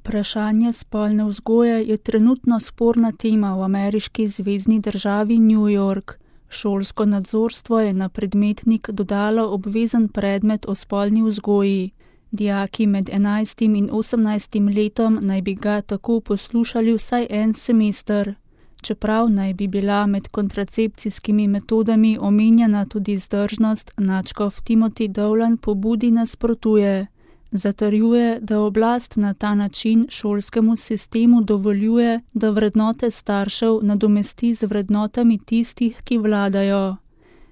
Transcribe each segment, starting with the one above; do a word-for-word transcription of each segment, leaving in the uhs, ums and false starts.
Vprašanje spolne vzgoje je trenutno sporna tema v ameriški zvezni državi New York. Šolsko nadzorstvo je na predmetnik dodalo obvezen predmet o spolni vzgoji. Dijaki med enajstim in osemnajstim letom naj bi ga tako poslušali vsaj en semester. Čeprav naj bi bila med kontracepcijskimi metodami omenjena tudi vzdržnost, nadškof Timothy Dolan pobudi nasprotuje. Zatrjuje, da oblast na ta način šolskemu sistemu dovoljuje, da vrednote staršev nadomesti z vrednotami tistih, ki vladajo.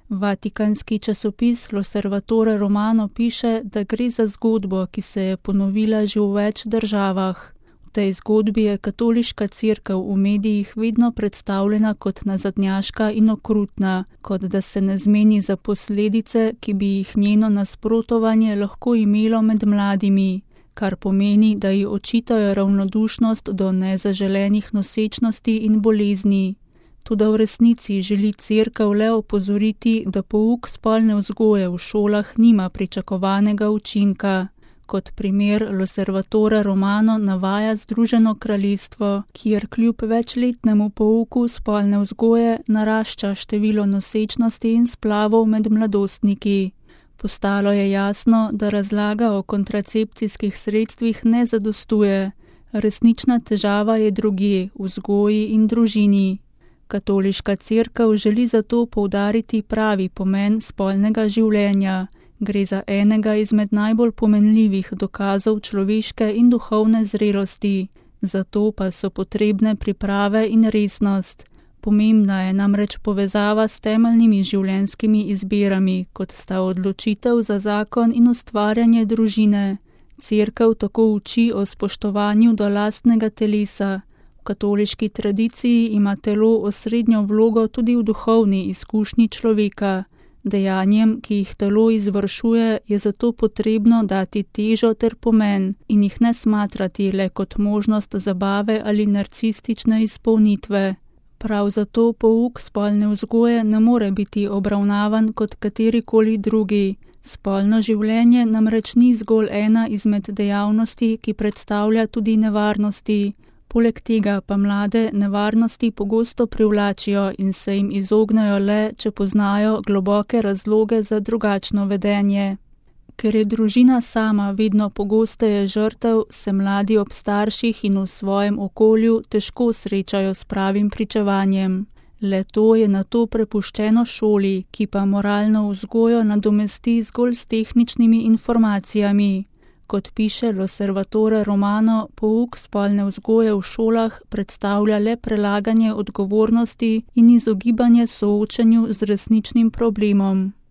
Vatikanski časopis L'Osservatore Romano piše, da gre za zgodbo, ki se je ponovila že v več državah. V tej zgodbi je katoliška cerkev v medijih vedno predstavljena kot nazadnjaška in okrutna, kot da se ne zmeni za posledice, ki bi jih njeno nasprotovanje lahko imelo med mladimi, kar pomeni, da ji očitajo ravnodušnost do nezaželenih nosečnosti in bolezni. Toda v resnici želi cerkev le opozoriti, da pouk spolne vzgoje v šolah nima pričakovanega učinka. Kot primer L'Osservatore Romano navaja Združeno kraljestvo, kjer kljub večletnemu pouku spolne vzgoje narašča število nosečnosti in splavov med mladostniki. Postalo je jasno, da razlaga o kontracepcijskih sredstvih ne zadostuje. Resnična težava je drugje, v vzgoji in družini. Katoliška cerkev želi zato poudariti pravi pomen spolnega življenja. Gre za enega izmed najbolj pomenljivih dokazov človeške in duhovne zrelosti, zato pa so potrebne priprave in resnost. Pomembna je namreč povezava s temeljnimi življenjskimi izbirami, kot sta odločitev za zakon in ustvarjanje družine. Cerkev tako uči o spoštovanju do lastnega telesa. V katoliški tradiciji ima telo osrednjo vlogo tudi v duhovni izkušnji človeka. Dejanjem, ki jih telo izvršuje, je zato potrebno dati težo ter pomen in jih ne smatrati le kot možnost zabave ali narcistične izpolnitve. Prav zato pouk spolne vzgoje ne more biti obravnavan kot katerikoli drugi. Spolno življenje namreč ni zgolj ena izmed dejavnosti, ki predstavlja tudi nevarnosti. Poleg tega pa mlade nevarnosti pogosto privlačijo in se jim izognajo le, če poznajo globoke razloge za drugačno vedenje. Ker je družina sama vedno pogosteje žrtev, se mladi ob starših in v svojem okolju težko srečajo s pravim pričevanjem. Le to je nato prepuščeno šoli, ki pa moralno vzgojo nadomesti zgolj s tehničnimi informacijami. Kot piše L'Osservatore Romano, pouk spolne vzgoje v šolah predstavlja le prelaganje odgovornosti in izogibanje soočenju z resničnim problemom.